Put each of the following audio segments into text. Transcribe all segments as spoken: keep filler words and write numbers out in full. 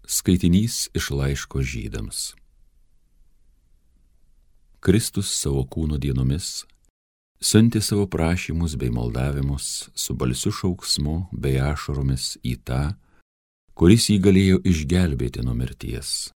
Skaitinys iš laiško Žydams. Kristus savo kūno dienomis siuntė savo prašymus bei maldavimus su balsiu šauksmu bei ašaromis į tą, kuris jį galėjo išgelbėti nuo mirties,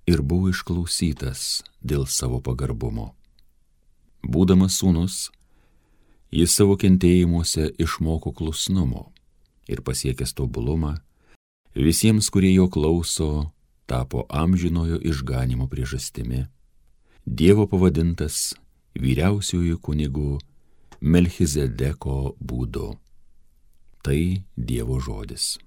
ir buvo išklausytas dėl savo pagarbumo. Būdamas sūnus, jis savo kentėjimuose išmoko klusnumo ir pasiekęs tobulumą, visiems, kurie jo klauso, tapo amžinojo išganymo priežastimi, Dievo pavadintas vyriausiuoju kunigu Melchizedeko būdu. Tai Dievo žodis.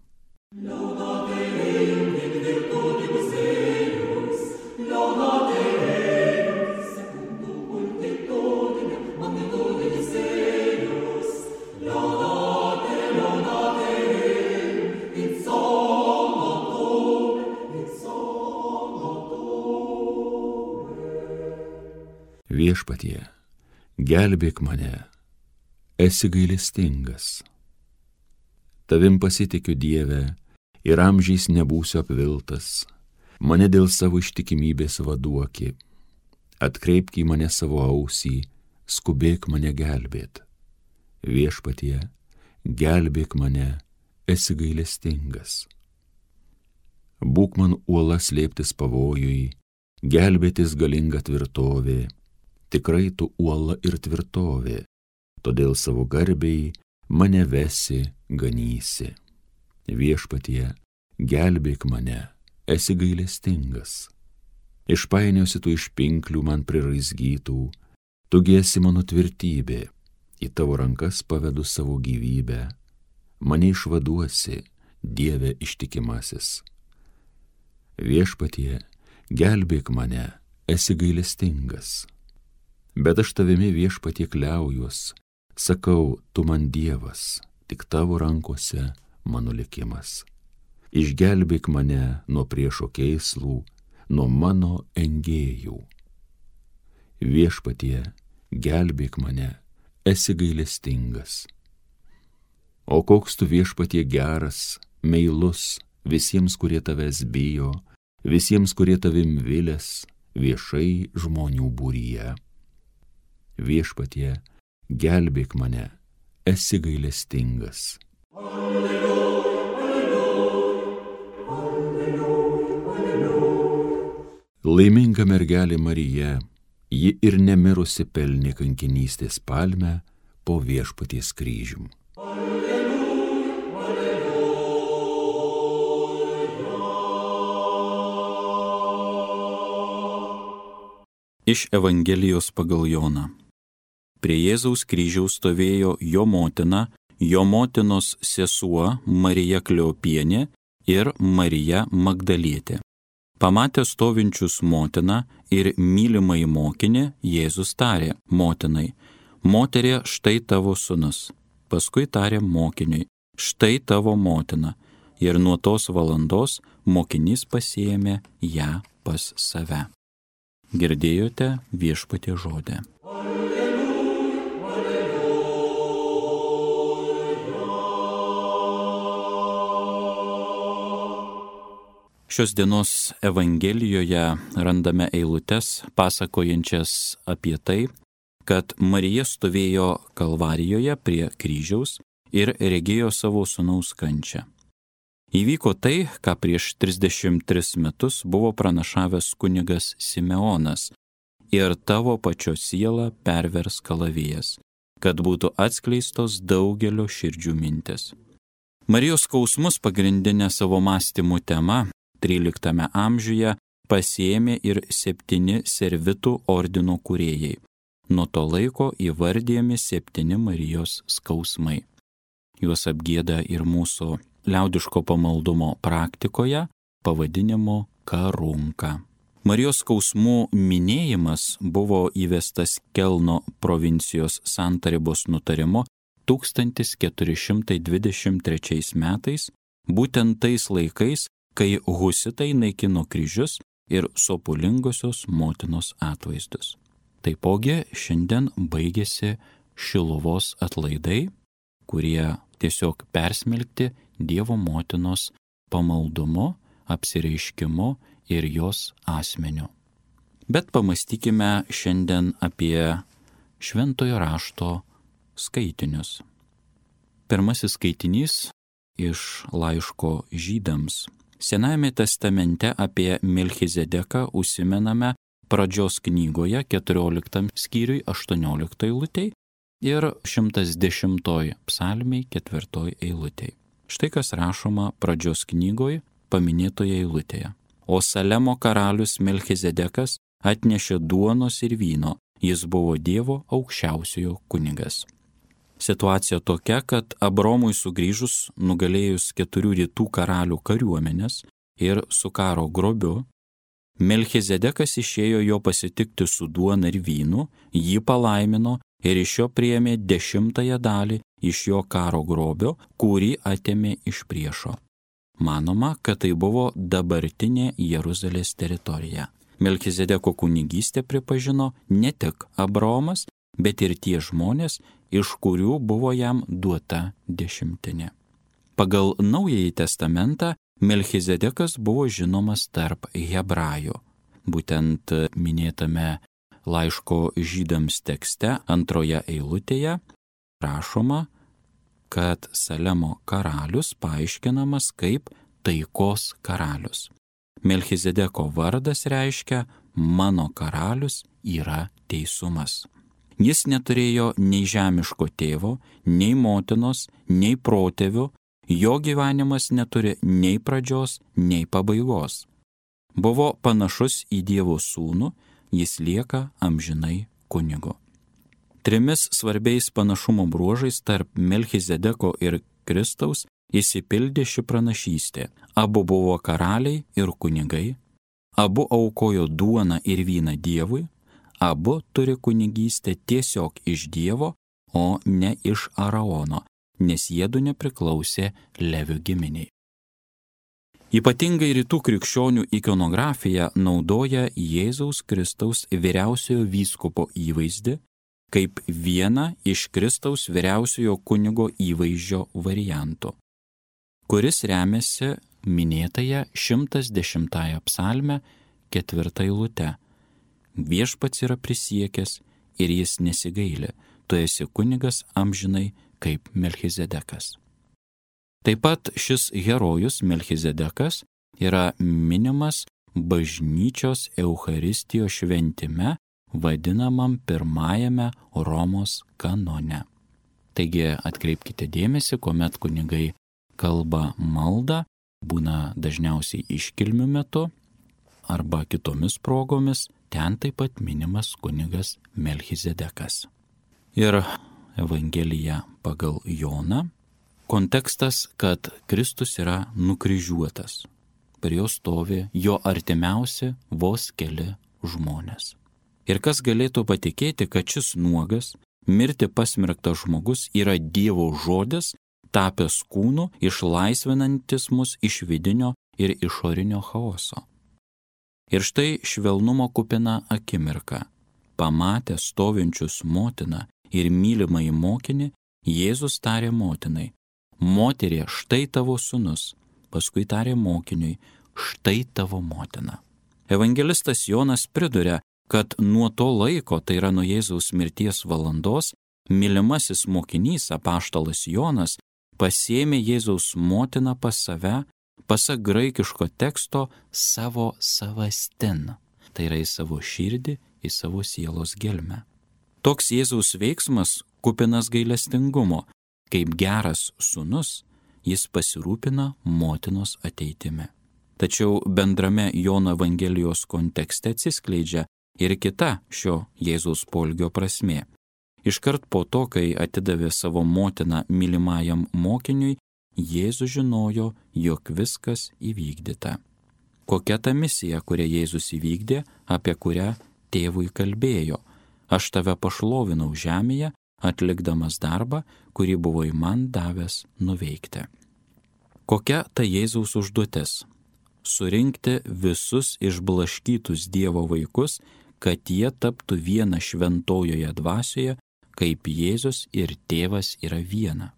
Viešpatie, gelbėk mane, esi gailestingas. Tavim pasitikiu, Dieve, ir amžiais nebūsiu apviltas, mane dėl savo ištikimybės vaduoki, atkreipk į mane savo ausį, skubėk mane gelbėt. Viešpatie, gelbėk mane, esi gailestingas. Būk man uola slėptis pavojui, gelbėtis galinga tvirtovė, tikrai tu uola ir tvirtovė, todėl savo garbei mane vesi, ganysi. Viešpatie, gelbėk mane, esi gailestingas. Išpainiosi tu iš pinklių man priraizgytų, tu esi mano tvirtybė, į tavo rankas pavedu savo gyvybę, mane išvaduosi, Dieve ištikimasis. Viešpatie, gelbėk mane, esi gailestingas. Bet aš tavimi, Viešpatie, kliaujuos, sakau, tu man Dievas, tik tavo rankose mano likimas. Išgelbėk mane nuo priešo kėslų, nuo mano engėjų. Viešpatie, gelbėk mane, esi gailestingas. O koks tu, Viešpatie, geras, meilus visiems, kurie tavęs bijo, visiems, kurie tavim vilės, viešai žmonių būryje. Viešpatie, gelbėk mane, esi gailestingas. Alleluja, alleluja, alleluja. Laiminga mergelė Marija, ji ir nemirusi pelnė kankinystės palmę po Viešpaties kryžium. Alleluja, alleluja. Iš Evangelijos pagal Joną. Prie Jėzaus kryžiaus stovėjo jo motina, jo motinos sesuo Marija Kleopienė ir Marija Magdalietė. Pamatę stovinčius motiną ir mylimąjį mokinį, Jėzus tarė motinai: Moterie, štai tavo sūnus. Paskui tarė mokiniui: Štai tavo motina. Ir nuo tos valandos mokinys pasiėmė ją pas save. Girdėjote Viešpaties žodį. Šios dienos Evangelijoje randame eilutes pasakojančias apie tai, kad Marija stovėjo Kalvarijoje prie kryžiaus ir regėjo savo sūnaus kančią. Įvyko tai, ką prieš trisdešimt tris metus buvo pranašavęs kunigas Simeonas: ir tavo pačio sielą pervers kalavijas, kad būtų atskleistos daugelio širdžių mintis. Marijos skausmus pagrindinė savo mąstymų tema tryliktame amžiuje pasiėmė ir septyni servitų ordino kūrėjai. Nuo to laiko įvardijami septyni Marijos skausmai. Juos apgieda ir mūsų liaudiško pamaldumo praktikoje pavadinimu karunka. Marijos skausmų minėjimas buvo įvestas Kelno provincijos santarybos nutarimo tūkstantis keturi šimtai dvidešimt trečiais metais, būtent tais laikais, kai husitai naikino kryžius ir sopulingosios motinos atvaizdus. Taipogi šiandien baigėsi Šiluvos atlaidai, kurie tiesiog persmelkti Dievo motinos pamaldumu, apsireiškimu ir jos asmeniu. Bet pamastykime šiandien apie šventojo rašto skaitinius. Pirmasis skaitinys iš laiško Žydams. Senajame testamente apie Melchizedeką užsimename pradžios knygoje keturioliktam skyriui aštuonioliktoj eilutėj ir šimtas dešimtoj psalmėj ketvirtoj eilutėj. Štai kas rašoma pradžios knygoj paminėtoje eilutėje. O Salemo karalius Melchizedekas atnešė duonos ir vyno, jis buvo Dievo aukščiausiojo kunigas. Situacija tokia, kad Abromui sugrįžus nugalėjus keturių rytų karalių kariuomenės ir su karo grobiu, Melchizedekas išėjo jo pasitikti su duona ir vynu, jį palaimino ir iš jo priėmė dešimtąją dalį iš jo karo grobio, kurį atėmė iš priešo. Manoma, kad tai buvo dabartinė Jeruzalės teritorija. Melchizedeko kunigystę pripažino ne tik Abraomas, bet ir tie žmonės, iš kurių buvo jam duota dešimtinė. Pagal Naująjį testamentą Melchizedekas buvo žinomas tarp hebrajų. Būtent minėtame laiško Žydams tekste antroje eilutėje rašoma, kad Salemo karalius paaiškinamas kaip taikos karalius. Melchizedeko vardas reiškia mano karalius yra teisumas. Jis neturėjo nei žemiško tėvo, nei motinos, nei protėvių, jo gyvenimas neturi nei pradžios, nei pabaigos. Buvo panašus į Dievo sūnų, jis lieka amžinai kunigu. Trimis svarbiais panašumo bruožais tarp Melchizedeko ir Kristaus įsipildė ši pranašystė. Abu buvo karaliai ir kunigai, abu aukojo duoną ir vyną Dievui, abu turi kunigystę tiesiog iš Dievo, o ne iš Araono, nes jiedu nepriklausė Levių giminiai. Ypatingai rytų krikščionių ikonografija naudoja Jėzaus Kristaus vyriausiojo vyskupo įvaizdį kaip vieną iš Kristaus vyriausiojo kunigo įvaizdžio variantų, kuris remiasi minėtąją šimtas dešimtąją psalmę ketvirtą eilutę. Viešpats yra prisiekęs ir jis nesigaili, tu esi kunigas amžinai kaip Melchizedekas. Taip pat šis herojus Melchizedekas yra minimas bažnyčios Eucharistijos šventime, vadinamam pirmajame Romos kanone. Taigi atkreipkite dėmesį, kuomet kunigai kalba maldą, būna dažniausiai iškilmių metu arba kitomis progomis, ten taip pat minimas kunigas Melchizedekas. Ir Evangelija pagal Joną. Kontekstas, kad Kristus yra nukryžiuotas. Per jo stovi jo artimiausi vos keli žmonės. Ir kas galėtų patikėti, kad šis nuogas, mirti pasmerktas žmogus yra Dievo žodis, tapęs kūnu, išlaisvinantis mus iš vidinio ir išorinio chaoso. Ir štai švelnumo kupina akimirka. Pamatę stovinčius motiną ir mylimąjį mokinį, Jėzus tarė motinai, moterie, štai tavo sūnus, paskui tarė mokiniui, štai tavo motina. Evangelistas Jonas priduria, kad nuo to laiko, tai yra nuo Jėzaus mirties valandos, mylimasis mokinys apaštalas Jonas pasėmė Jėzaus motiną pas save, pasak graikiško teksto, savo savastin, tai yra į savo širdį, į savo sielos gelmę. Toks Jėzaus veiksmas kupinas gailestingumo, kaip geras sūnus, jis pasirūpina motinos ateitimi. Tačiau bendrame Jono Evangelijos kontekste atsiskleidžia ir kita šio Jėzaus poelgio prasmė. Iškart po to, kai atidavė savo motiną mylimajam mokiniui, Jėzus žinojo, jog viskas įvykdyta. Kokia ta misija, kurią Jėzus įvykdė, apie kurią tėvui kalbėjo? Aš tave pašlovinau žemėje, atlikdamas darbą, kurį buvai man davęs nuveikti. Kokia ta Jėzaus užduotis? Surinkti visus išblaškytus Dievo vaikus, kad jie taptų viena šventojoje dvasioje, kaip Jėzus ir tėvas yra viena.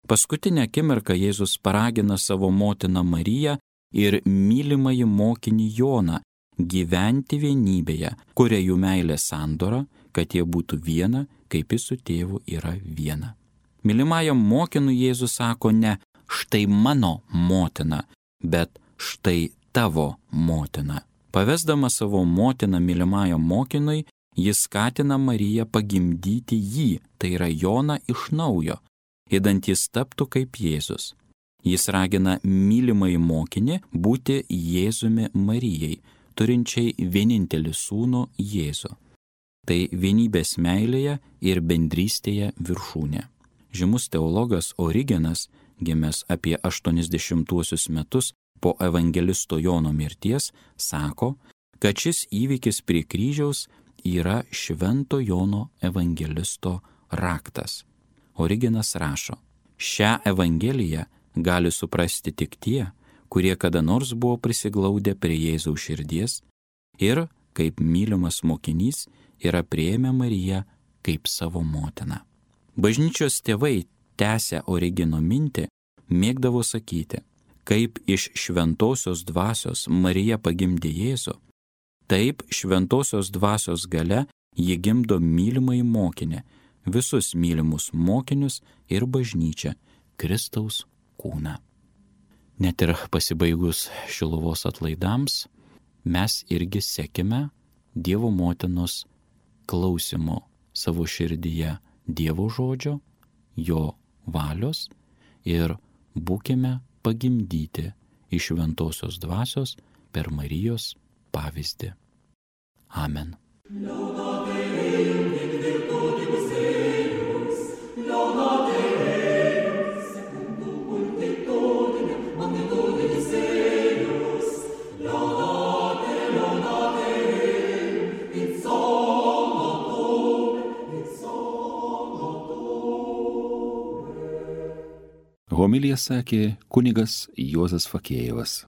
Paskutinę akimirką Jėzus paragina savo motiną Mariją ir mylimąjį mokinį Joną gyventi vienybėje, kuria jų meilė sandora, kad jie būtų viena, kaip jis su tėvu yra viena. Mylimajam mokinui Jėzus sako ne štai mano motina, bet štai tavo motina. Pavesdamas savo motiną mylimajam mokinui, jis skatina Mariją pagimdyti jį, tai yra Joną iš naujo, įdant jis taptų kaip Jėzus. Jis ragina mylimąjį mokinį būti Jėzumi Marijai, turinčiai vienintelį sūnų Jėzų. Tai vienybės meilėje ir bendrystėje viršūnė. Žymus teologas Origenas, gimęs apie aštuoniasdešimtuosius metus po evangelisto Jono mirties, sako, kad šis įvykis prie kryžiaus yra Švento Jono evangelisto raktas. Origenas rašo, šią evangeliją gali suprasti tik tie, kurie kada nors buvo prisiglaudę prie Jėzaus širdies ir, kaip mylimas mokinys, yra priėmę Mariją kaip savo motiną. Bažnyčios tėvai, tęsę Origeno mintį, mėgdavo sakyti, kaip iš šventosios dvasios Marija pagimdė Jėzų, taip šventosios dvasios galia ji gimdo mylimąjį mokinį, visus mylimus mokinius ir bažnyčią, Kristaus kūną. Net ir pasibaigus Šiluvos atlaidams, mes irgi sekime Dievo motinos klausimo savo širdyje Dievo žodžio, jo valios ir būkime pagimdyti iš šventosios dvasios per Marijos pavyzdį. Amen. Homiliją sakė kunigas Juozas Fakėjevas.